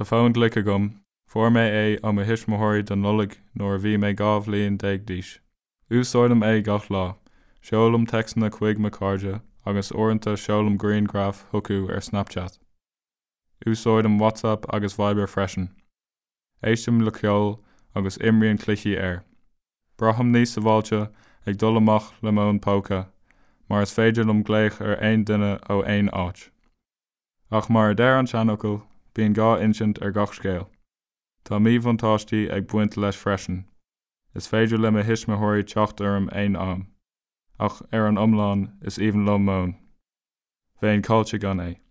Tá fón glic agam, fuair mé é ó mo thuismitheoirí don Nollaig nuair a bhí mé 12 bhliain d'aois. Úsáidim é gach lá, seolaim téacsanna chuig mo chairde agus uaireanta seolaim grianghraif chucu ar Snapchat. Úsáidim WhatsApp agus Viber freisin. Éistim le ceol agus imrím cluichí air. Braithim níos sábháilte ag dul amach le m'fhón póca mar is féidir liom glaoch ar aon duine ó aon áit. Ach mar a deir an seanfhocal, bíonn dhá insint ar gach scéal. Tá míbhuntáistí ag baint leis freisin. Is féidir le mo thuismitheoirí teacht orm aon am. Ach ar an iomlán, is aoibhinn liom m'fhón. Bheinn caillte gan é.